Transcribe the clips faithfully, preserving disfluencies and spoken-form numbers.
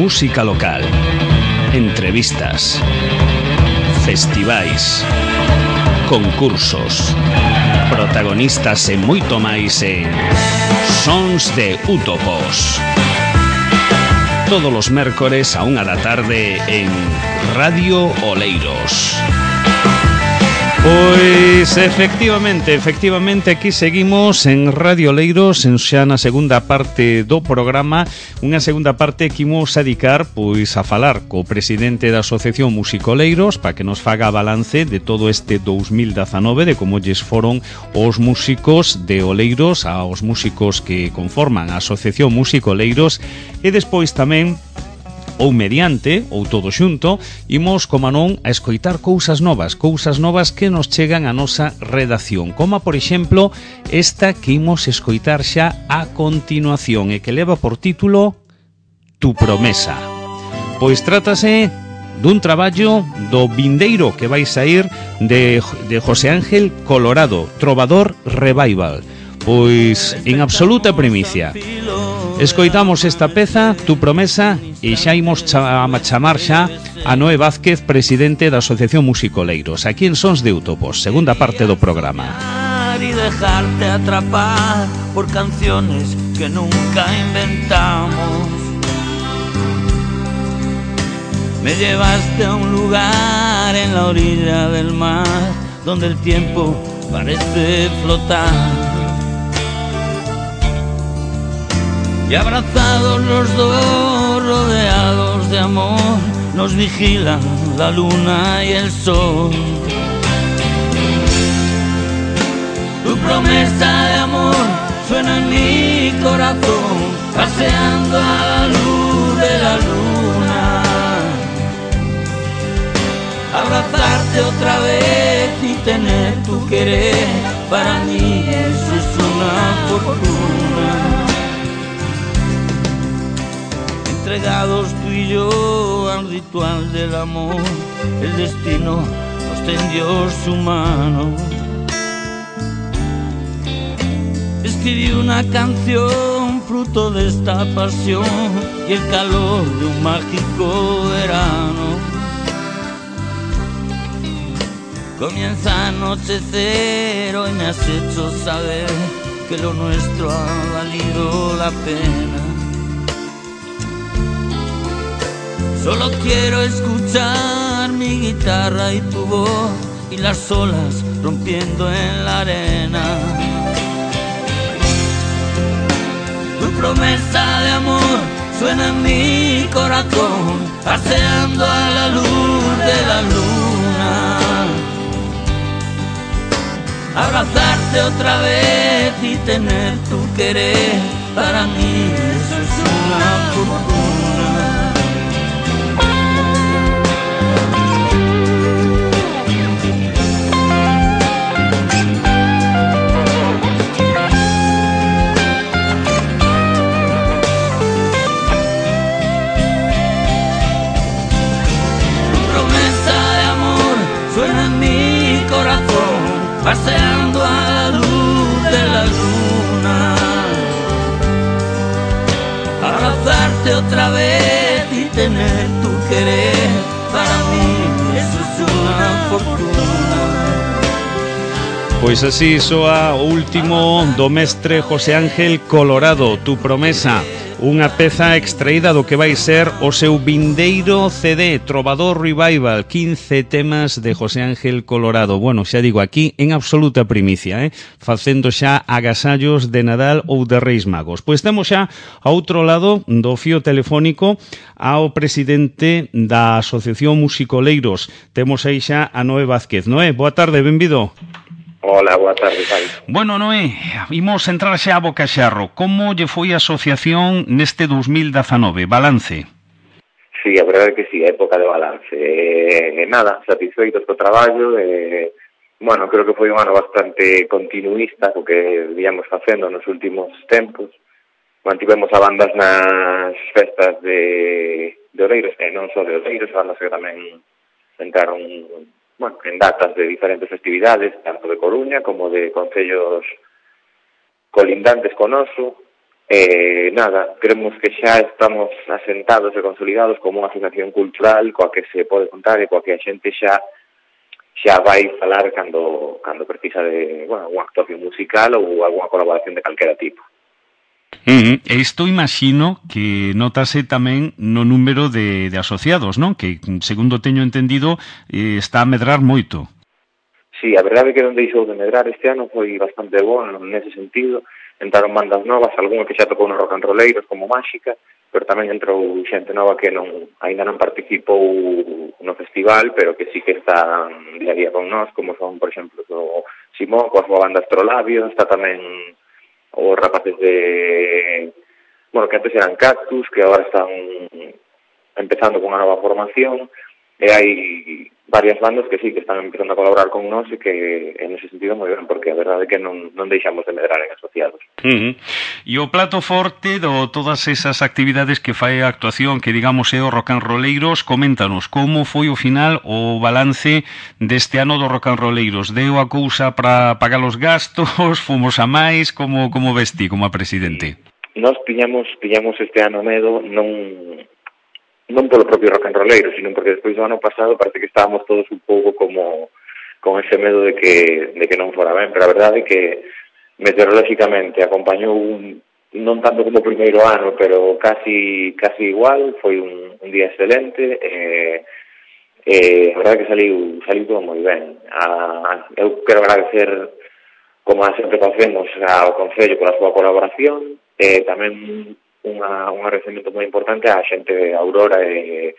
música local, entrevistas, festivais, concursos, protagonistas e moito máis en Sons de Útopos. Todos os mércores a unha da tarde en Radio Oleiros. Pois efectivamente, efectivamente aquí seguimos en Radio Oleiros, en xa na segunda parte do programa, unha segunda parte que imos a dedicar pois a falar co presidente da Asociación Músico Oleiros para que nos faga balance de todo este dous mil dezanove, de como lles foron os músicos de Oleiros, aos músicos que conforman a Asociación Músico Oleiros, e despois tamén ou mediante, ou todo xunto, imos, como non, a escoitar cousas novas, cousas novas que nos chegan a nosa redacción, como, por exemplo, esta que imos escoitar xa a continuación e que leva por título Tu promesa. Pois trátase dun traballo do vindeiro que vai sair de, de José Ángel Colorado, Trovador Revival. Pois en absoluta primicia. Escoitamos esta peza, Tu promesa, e xa imos a chamar xa a Noé Vázquez, presidente da Asociación Músico Oleiros, aquí en Sons de Útopos, segunda parte do programa. Y dejarte atrapar por canciones que nunca inventamos. Me llevaste a un lugar en la orilla del mar, donde el tiempo parece flotar. Y abrazados los dos, rodeados de amor, nos vigilan la luna y el sol. Tu promesa de amor suena en mi corazón, paseando a la luz de la luna. Abrazarte otra vez y tener tu querer, para mí eso es una fortuna. Entregados tú y yo al ritual del amor, el destino nos tendió su mano. Escribí una canción fruto de esta pasión y el calor de un mágico verano. Comienza a anochecer, hoy me has hecho saber que lo nuestro ha valido la pena. Solo quiero escuchar mi guitarra y tu voz y las olas rompiendo en la arena. Tu promesa de amor suena en mi corazón, paseando a la luz de la luna. Abrazarte otra vez y tener tu querer, para mí eso es una fortuna. Paseando a la luz de la luna. Abrazarte otra vez y tener tu querer, para mí eso es una fortuna. Pois así soa o último do mestre José Ángel Colorado, Tu promesa, unha peza extraída do que vai ser o seu vindeiro C D, Trovador Revival, quince temas de José Ángel Colorado. Bueno, xa digo, aquí en absoluta primicia, eh? facendo xa agasallos de Nadal ou de Reis Magos. Pois temos xa a outro lado do fío telefónico ao presidente da Asociación Músico Oleiros. Temos aí xa a Noé Vázquez. Noé, boa tarde, benvido. Hola, boa tarde, Pai. Bueno, Noé, imos entrar xa a bocaxarro. Como lle foi a asociación neste dous mil dezanove? Balance? Sí, a verdade é que sí, a época de balance. Eh, nada, satisfeitos co traballo. Eh, bueno, creo que foi un ano bastante continuista co que víamos facendo nos últimos tempos. Mantivemos a bandas nas festas de, de Oleiros, e non só de Oleiros, bandas que tamén entraron, bueno, en datas de diferentes festividades, tanto de Coruña como de concellos colindantes con oso. Eh, nada, creemos que xa estamos asentados e consolidados como unha asociación cultural coa que se pode contar e coa que a xente xa xa vai falar cando cando precisa de, bueno, unha actuación musical ou algunha colaboración de calquera tipo. Uh-huh. Isto imagino que notase tamén no número de, de asociados, non? Que, segundo teño entendido, eh, está a medrar moito. Sí, a verdade é que non deixou de medrar este ano, foi bastante bom nese sentido. Entraron bandas novas, algunha que xa tocou nos rock and rolleiros como Máxica, pero tamén entrou xente nova que non aínda non participou no festival, pero que sí que está día a día con nós, como son, por exemplo, o Simón, coa súa banda Astrolabio, está tamén os rapaces de... Bueno, que antes eran Cactus, que agora están empezando con unha nova formación, e hai varias bandas que sí, que están empezando a colaborar con nós e que en ese sentido moi ben, porque a verdade é que non, non deixamos de medrar en asociados. Uh-huh. E o plato forte de todas esas actividades que fai a actuación, que digamos é o rock and rolleiros, coméntanos, como foi o final, o balance deste ano do rock and rolleiros? Deu a cousa para pagar os gastos, fomos a máis, como, como vesti como a presidente? Nos piñamos, piñamos este ano medo, non... non polo propio rock and rolleiro, sino porque despois do ano pasado parece que estábamos todos un pouco como con ese medo de que de que non fora ben, pero a verdade é que meteorolóxicamente acompañou un, non tanto como o primeiro ano, pero casi casi igual, foi un, un día excelente, e eh, a verdade é que saliu, saliu todo moi ben. A, eu quero agradecer, como sempre facemos, ao Concello pola súa colaboración, e tamén unha, un agradecemento moi importante á xente de Aurora e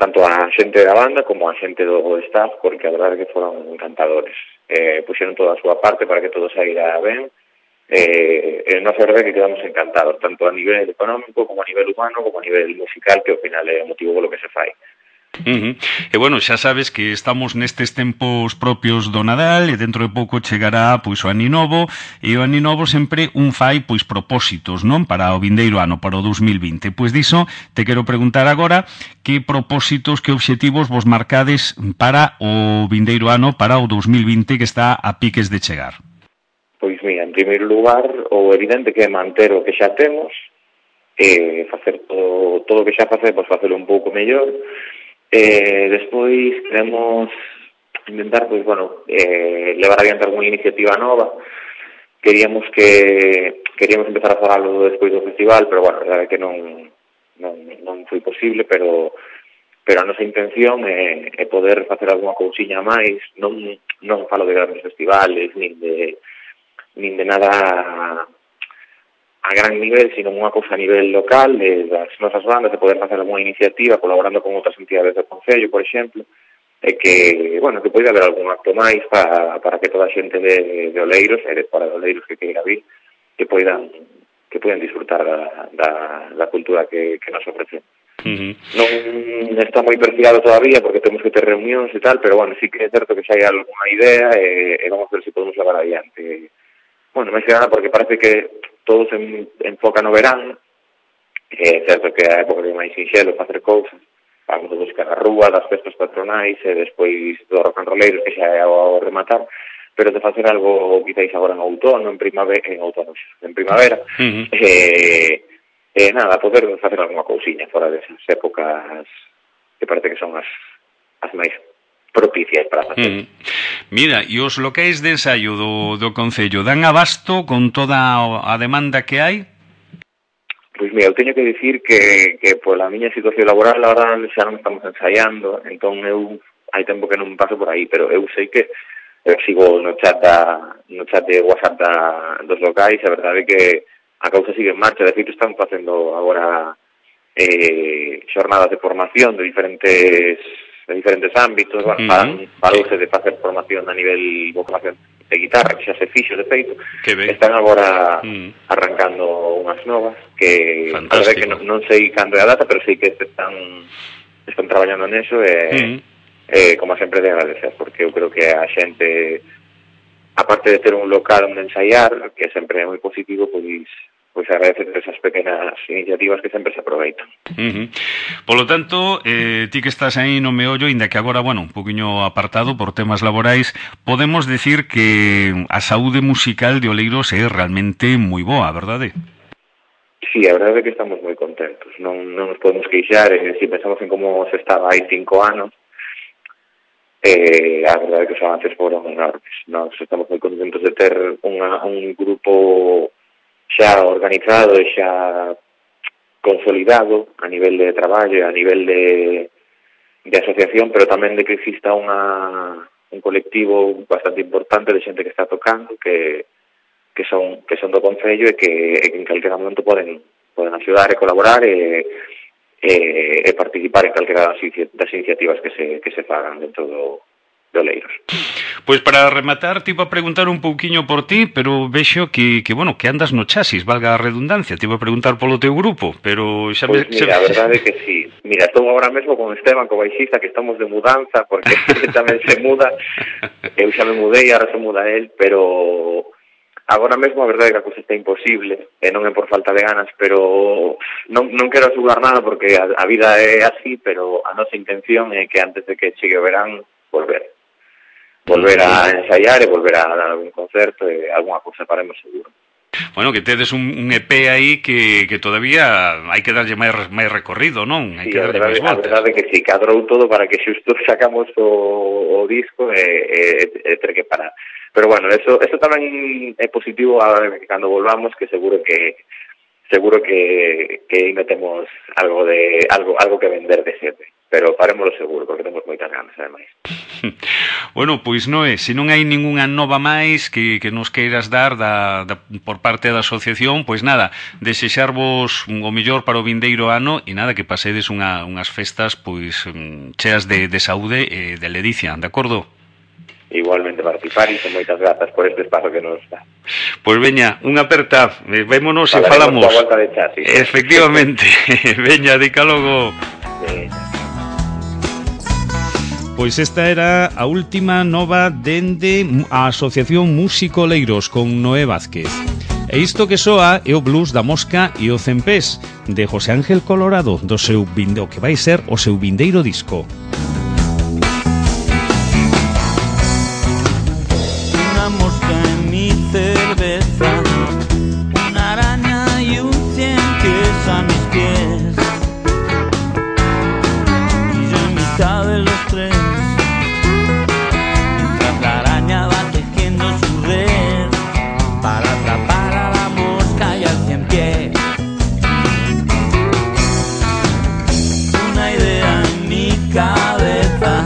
tanto a xente da banda como a xente do staff, porque a verdade é que foron encantadores. Eh, puxeron toda a súa parte para que todo saíra ben, e eh, nos verdade que quedamos encantados, tanto a nivel económico como a nivel humano, como a nivel musical, que ao final é o motivo polo que se fai. Uh-huh. E bueno, xa sabes que estamos nestes tempos propios do Nadal e dentro de pouco chegará pois o Aninovo, e o Aninovo sempre un fai pois propósitos, non? Para o vindeiro ano, para o dos mil vinte. Pois diso te quero preguntar agora que propósitos, que obxectivos vos marcades para o vindeiro ano, para o dos mil vinte que está a piques de chegar. Pois mira, en primeiro lugar, o evidente que é manter o que xa temos, e facer todo, todo o que xa facemos, facelo un pouco mellor. Eh, despois queremos intentar, pois, bueno, eh, levar adiante alguna iniciativa nova. Queríamos que queríamos empezar a falarlo despois do festival, pero bueno, a verdade é que non non, non foi posible, pero pero a nosa intención é, é poder facer algunha cousiña máis, non non falo de grandes festivales, nin de nin de nada a gran nivel, sino unha cousa a nivel local, de das nosas bandas, de poder facer alguna iniciativa colaborando con outras entidades do Concello, por exemplo, e que, bueno, que poida haber algún acto máis para, para que toda a xente de, de Oleiros, e de fora de Oleiros que queira vir, que poidan que poidan disfrutar da, da, da cultura que, que nos ofrecen. Uh-huh. Non está moi perfilado todavía porque temos que ter reunións e tal, pero bueno, sí que é certo que xa hai alguna idea e, e vamos a ver se podemos levar adiante. Bueno, máis que nada porque parece que todo se enfoca no verán, é certo que a época de máis sinxelo facer cousas, vamos a buscar a rúa das festas patronais e despois do rock and rolleiros que xa é ao rematar, pero de facer algo quizáis agora en outono, en primavera, en outono, en primavera, uh-huh. e, e nada, poder facer alguna cousiña fora desas épocas que parece que son as, as máis propicias para facer. Mm. Mira, e os locais de ensaio do, do Concello dan abasto con toda a demanda que hai? Pois mira, eu teño que dicir que, que pola miña situación laboral agora xa non estamos ensaiando, entón eu hai tempo que non paso por aí, pero eu sei que eu sigo no chat da, no chat de WhatsApp da, dos locais, a verdade é que a causa sigue en marcha, de feito están facendo agora eh, xornadas de formación de diferentes de diferentes ámbitos, bueno, uh-huh. parouse de facer formación a nivel vocación de guitarra, que xa se fixo, de feito, están agora uh-huh. arrancando unhas novas, que a verdade que non, non sei cando é a data, pero sei que están están traballando neso, e, uh-huh. e como sempre de agradecer, porque eu creo que a xente, aparte de ter un local onde ensaiar, que sempre é moi positivo, pois pois agradecer esas pequenas iniciativas que sempre se aproveitan. Uh-huh. Polo tanto, eh, ti que estás aí no meollo, inda que agora, bueno, un poquinho apartado por temas laborais, podemos decir que a saúde musical de Oleiros é realmente moi boa, verdade? sí, a verdade é que estamos moi contentos, non, non nos podemos queixar, e se pensamos en como se estaba hai cinco anos, eh, a verdade é que os avances foron enormes. Nós estamos moi contentos de ter unha, un grupo xa organizado e xa consolidado a nivel de traballo, a nivel de, de asociación, pero tamén de que exista unha, un colectivo bastante importante de xente que está tocando, que que son que son do Concello e que, e que en calquera momento poden poden axudar e colaborar e, e, e participar en calquera das, das iniciativas que se, que se fagan dentro do, do Oleiros. Pois para rematar, te iba a preguntar un pouquiño por ti, pero vexo que, que bueno, que andas no chasis, valga a redundancia. Te iba a preguntar polo teu grupo, pero xa Pois me... mira, xa... a verdade é que sí. Mira, estou agora mesmo con Esteban, co baixista, que estamos de mudanza, porque tamén se muda. Eu xa me mudei, agora se muda él, pero agora mesmo a verdade é que a cousa está imposible, e non é por falta de ganas, pero non, non quero asegurar nada porque a, a vida é así, pero a nosa intención é que antes de que chegue o verán, volver. Volver a ensaiar e volver a dar algún concerto e alguna cousa faremos seguro. Bueno, que tedes un, un E P aí que, que todavía hai que darlle máis, máis recorrido, non? Hai Sí, que darlle máis voltas. A verdade é que si, cadrou todo para que xusto sacamos o, o disco e, e, e ter que parar. Pero bueno, eso, eso tamén é positivo a, cando volvamos, que seguro que seguro que, que ainda temos algo de algo algo que vender de xente, pero farémoslo seguro, porque temos moitas ganas, ademais. Bueno, pois non é, se non hai ningunha nova máis que, que nos queiras dar da, da, por parte da asociación, pois nada, desexarvos o mellor para o vindeiro ano e nada, que pasedes unha, unhas festas pois cheas de, de saúde e de ledicia, de acordo? Igualmente participar e con moitas grazas por este espazo que nos dá. Pois veña, unha aperta, vémonos e falaremos falamos. coa volta de chasis. Efectivamente, veña, dica logo. Veña. Pois esta era a última nova dende a Asociación Músico Oleiros con Noé Vázquez. E isto que soa é o blues da Mosca e o Cempés de José Ángel Colorado, do seu vinde, o que vai ser o seu vindeiro disco. Una mosca en mi cerveza, una araña y un cien que es a mis pies, y yo en mitad de los tres, mientras la araña va tejiendo su red para atrapar a la mosca y al cien pies. Una idea en mi cabeza,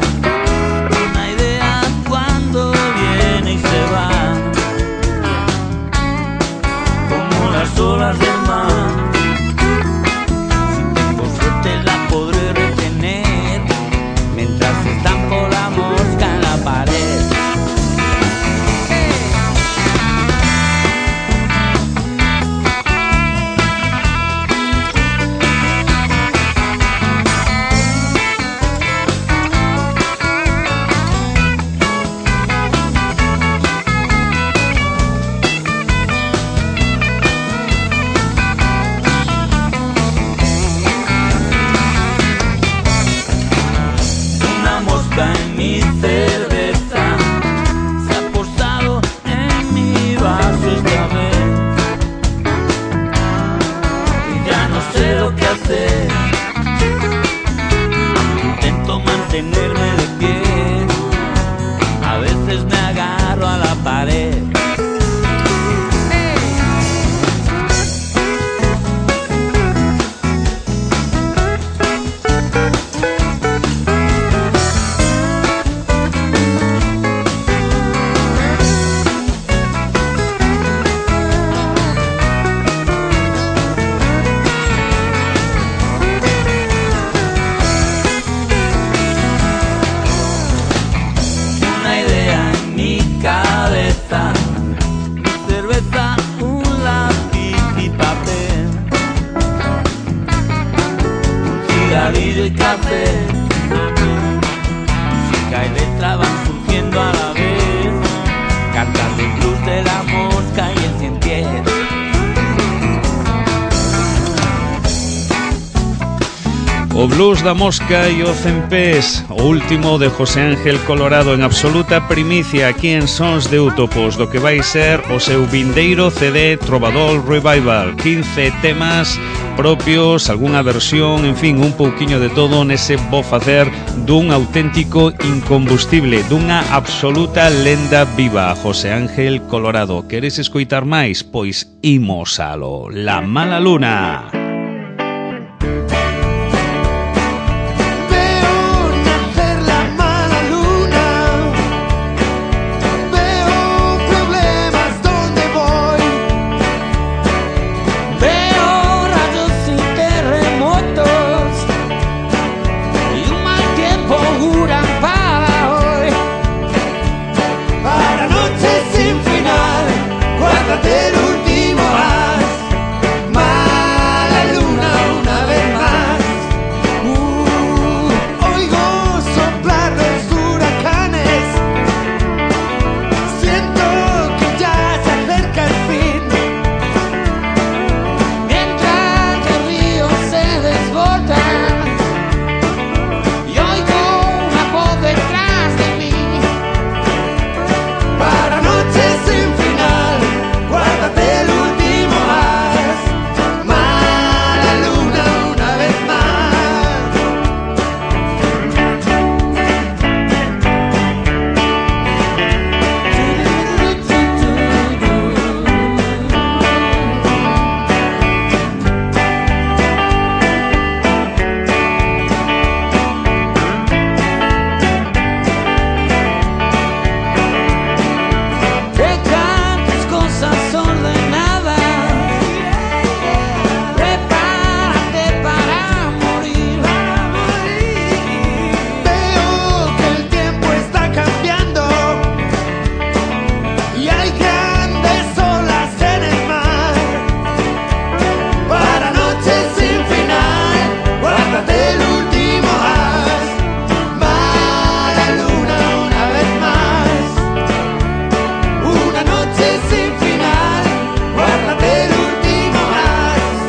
una idea cuando viene y se va, como las olas del mar. Si tengo suerte la podré retener mientras estampo la mosca en la pared. Una mosca en mi cerveza se ha posado en mi vaso esta vez y ya no sé lo que hacer. Intento mantenerme de pie, a veces me agarro a la pared. Una idea en mi cabeza, mi cerveza, un lápiz y papel, un cigarrillo y café, música y letra van surgiendo a la vez, cantando el blues de la mosca y el cien pies. O blues da Mosca e o Cempés, o último de José Ángel Colorado en absoluta primicia aquí en Sons de Útopos, do que vai ser o seu vindeiro C D Trovador Revival, quince temas propios, algunha versión, en fin, un pouquiño de todo nese bo facer dun auténtico incombustible, dunha absoluta lenda viva, José Ángel Colorado. Queres escoitar máis? Pois imos alo. La Mala Luna. Del último as, mala luna una vez más. Uh, oigo soplar los huracanes, siento que ya se acerca el fin. Mientras el río se desborda y oigo una voz detrás de mí. Para noches sin final, guárdate el último as, mala luna una vez más. Que cantes cosas ordenadas, prepárate para morir. Veo que el tiempo está cambiando y hay grandes olas en el mar. Para noches sin final, guárdate el último as, mala luna una vez más. Una noche sin final, guárdate el último as,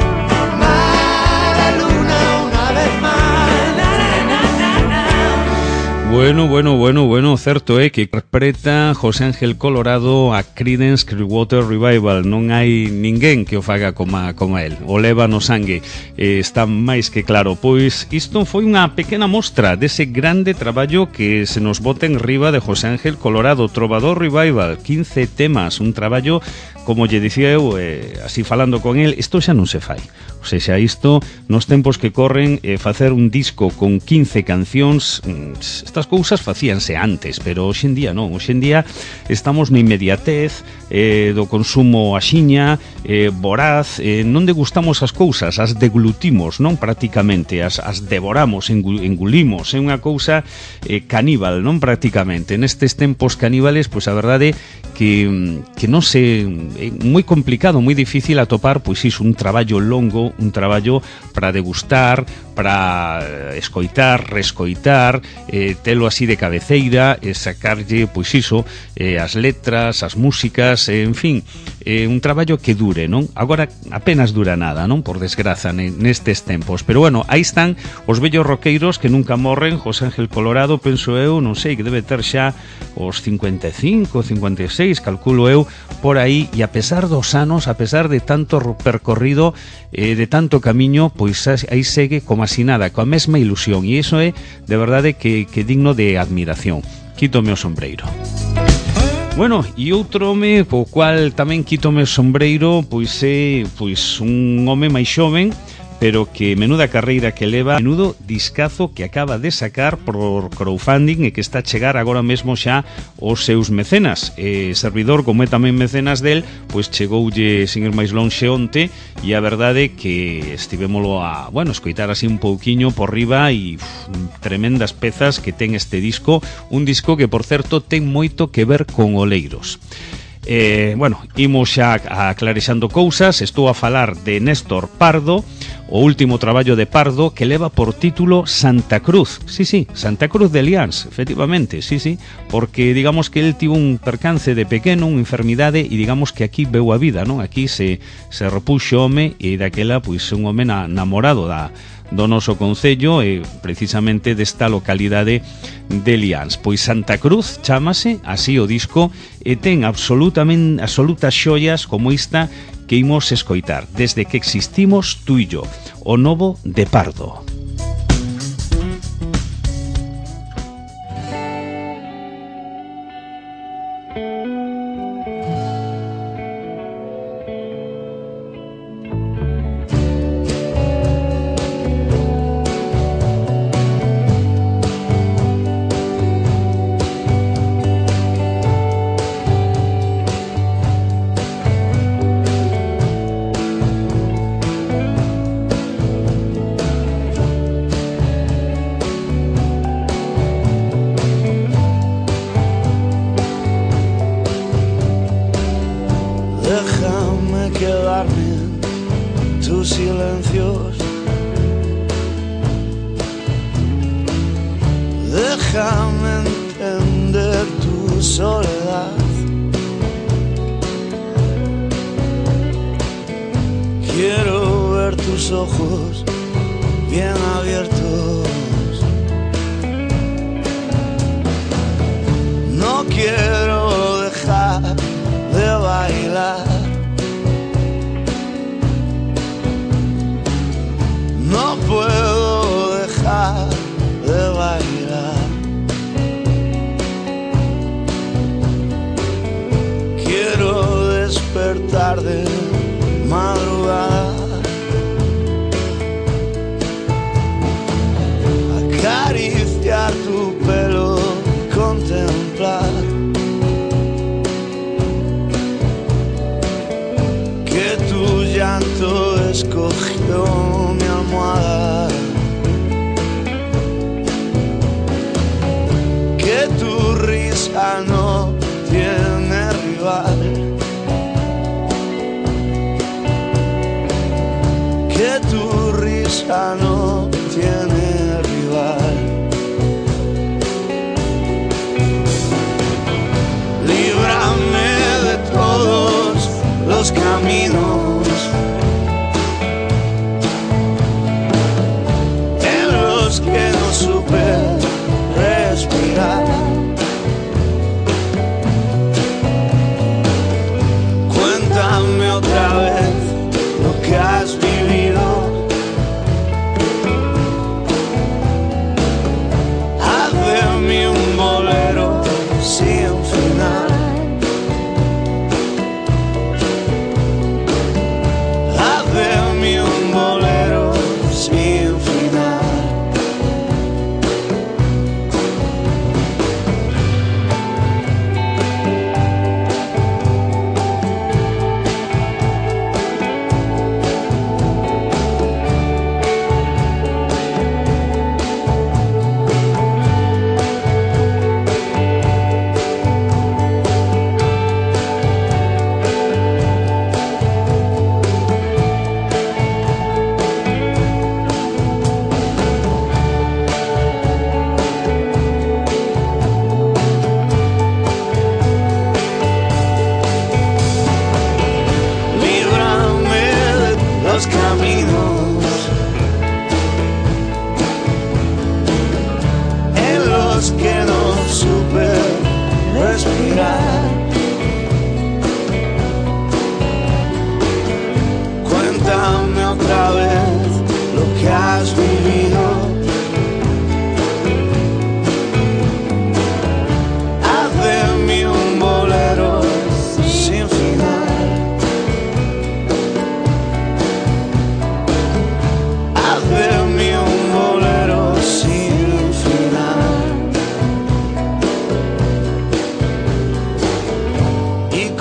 mala luna una vez más. Na, na, na, na. Bueno, bueno, bueno, bueno, certo é que interpreta José Ángel Colorado a Creedence Clearwater Revival. Non hai ninguén que o faga como a, como a él. O leva no sangue, eh, está máis que claro. Pois isto foi unha pequena mostra dese grande traballo que se nos bota en riba de José Ángel Colorado, Trovador Revival, quince temas, un traballo, como lle dicía eu, eh, así falando con el, isto xa non se fai. O sea, isto, nos tempos que corren, eh, facer un disco con quince cancións, estas cousas facíanse antes, pero hoxe en día non. Hoxe en día estamos na inmediatez eh, do consumo axiña, eh, voraz, eh, non degustamos as cousas, as deglutimos, non? Prácticamente, as, as devoramos, engulimos, é unha cousa eh, caníbal, non? Prácticamente, nestes tempos caníbales, pois a verdade que, que non se... é moi complicado, moi difícil atopar, pois iso, un traballo longo, un traballo para degustar, para escoitar, rescoitar, eh, telo así de cabeceira, e sacarlle, pois iso, eh, as letras, as músicas, eh, en fin, eh, un traballo que dure, non? Agora apenas dura nada, non? Por desgraza, nestes tempos. Pero bueno, aí están os vellos roqueiros que nunca morren. José Ángel Colorado, penso eu, non sei, que debe ter xa os cincuenta e cinco, cincuenta e seis, calculo eu, por aí, e a pesar dos anos, a pesar de tanto percorrido, eh, de tanto camiño, pois aí segue como así nada, coa mesma ilusión, e iso é de verdade que, que digno de admiración. Quítome o sombreiro. Bueno, e outro home o cual tamén quítome o sombreiro, pois é pois un home máis xoven, pero que menuda carreira que leva, menudo discazo que acaba de sacar por crowdfunding e que está a chegar agora mesmo xa aos seus mecenas. E servidor, como é tamén mecenas del, pois chegoulle sin ir máis lonxe onte, e a verdade que estivémolo a, bueno, escoitar así un pouquiño por riba, e uf, tremendas pezas que ten este disco, un disco que, por certo, ten moito que ver con Oleiros. Eh, bueno, imos xa aclarexando cousas. Estou a falar de Néstor Pardo, o último traballo de Pardo, que leva por título Santa Cruz. Sí, sí, Santa Cruz de Lians, efectivamente, sí, sí, porque digamos que el tivo un percance de pequeno, unha enfermidade, e digamos que aquí veu a vida, non? Aquí se, se repuxo home, e daquela, pois, un home na, namorado da do noso concello e precisamente desta localidade de Lians. Pois Santa Cruz chámase así o disco e ten absolutamente absolutas xoias como esta que imos escoitar, Desde que existimos tú e yo, o novo de Pardo.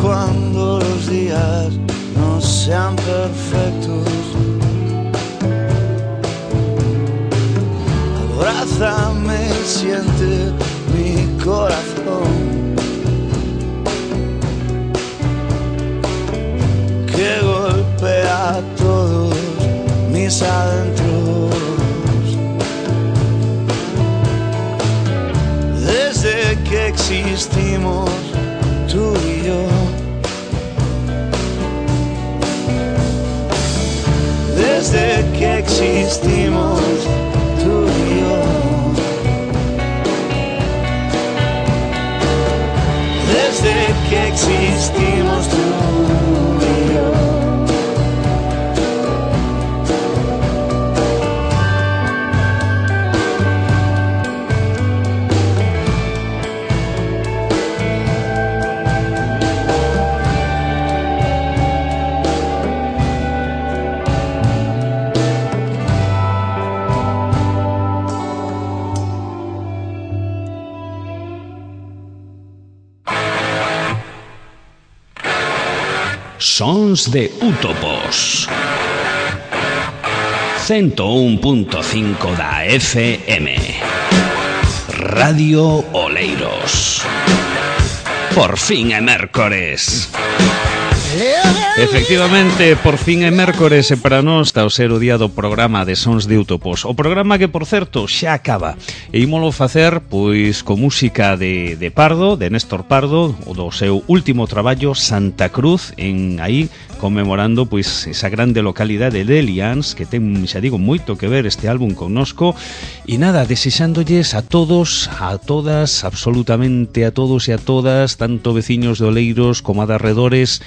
Cuando los días no sean perfectos, mis adentros. Desde que existimos tú y yo, desde que existimos tú y yo, desde que existimos tú y yo. Sons de Útopos ciento un punto cinco da F M Radio Oleiros. Por fin é mércores. Efectivamente, por fin é mércores e para nós está o ser o día do programa de Sons de Útopos. O programa que, por certo, xa acaba. E ímolo facer, pois, con música de, de Pardo, de Néstor Pardo, o do seu último traballo, Santa Cruz, en aí, conmemorando, pois, esa grande localidade de Elians, que ten, xa digo, moito que ver este álbum connosco. E nada, desexándolles a todos, a todas, absolutamente a todos e a todas, tanto veciños de Oleiros como a de arredores,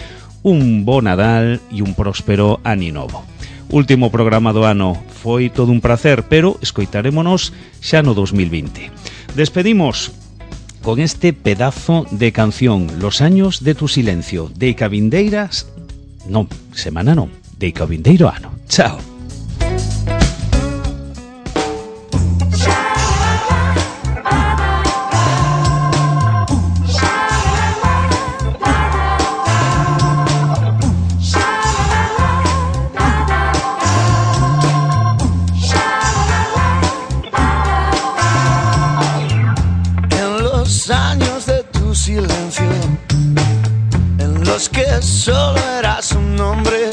un bo Nadal e un próspero ano novo. Último programa do ano, foi todo un placer, pero escoitarémonos xa no dos mil vinte. Despedimos con este pedazo de canción, Los años de tu silencio, de Cabindeiras, non, semana non, de Cabindeiro ano. Chao. Que solo eras un nombre,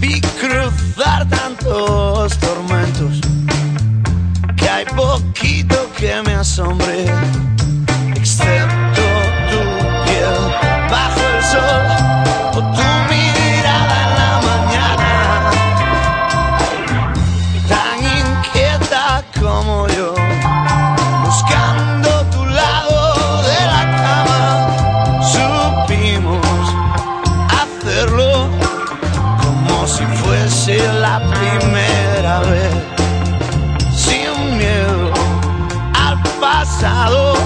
vi cruzar tantos tormentos que hay poquito que me asombre, excepto tu piel bajo el sol o tu mirada en la mañana, tan inquieta como yo, buscando tu lado de la cama. Hacerlo como si fuese la primera vez, sin miedo al pasado.